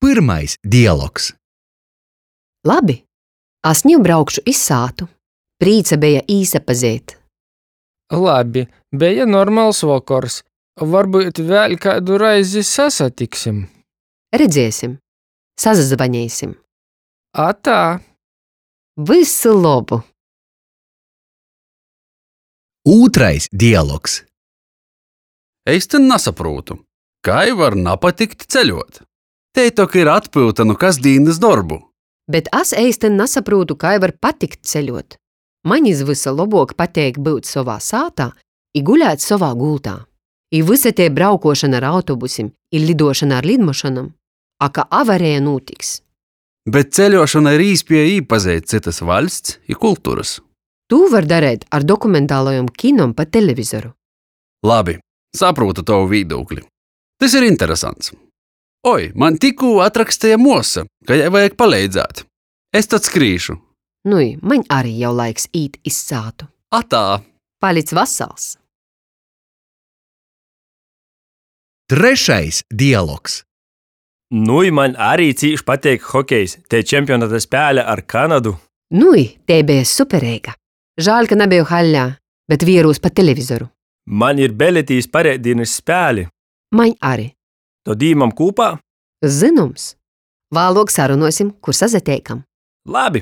Pyrmais dialogs. Labi, as niu braukšu iz sātu. Prīca beja īsapazeit. Labi, beja normals vokors. Varbyut vēļ kaidu reizi sasatiksim. Redzēsim, sasazvaneisim. Atā! Vysu lobu! Ūtrais dialogs. Eistyn nasaprūtu, kai var napatikt ceļuot? Tei tok ir atpyuta nu kasdīnys dorbu. Bet as eistyn nasaprūtu, kai var patikt ceļuot. Maņ iz vysa lobuok pateik byut sovā sātā i gulēt sovā gultā. I vysa tei braukuošona ar autobusim i liduošona ar lidmašynom, a ka avareja nūtiks. Bet ceļuošona ir īspieja īpazeit cytys vaļsts i kulturys. Tū var dareit ar dokumentalajom kinom pa televizoru. Labi, saprūtu tovu vīdūkli. Tys ir interesants. Oi, maņ tikkū atraksteja muosa, ka jai vajag paleidzēt. Es tod skrīšu. Nui, maņ ari jau laiks īt iz sātu. Atā! Palic vasals! Trešais dialogs. Nui, maņ ari cīš pateik hokejs, tei čempionata spēle ar Kanadu. Nui, tei beja supereiga. Žāļ, ka nabeju haļā, bet vierūs pa televizoru. Maņ ir beleti iz pareitdīnys spēli. Maņ ari. Tod īmam kūpā? Zynoms. Vāluok sarunuosim, kur sasateikam. Labi!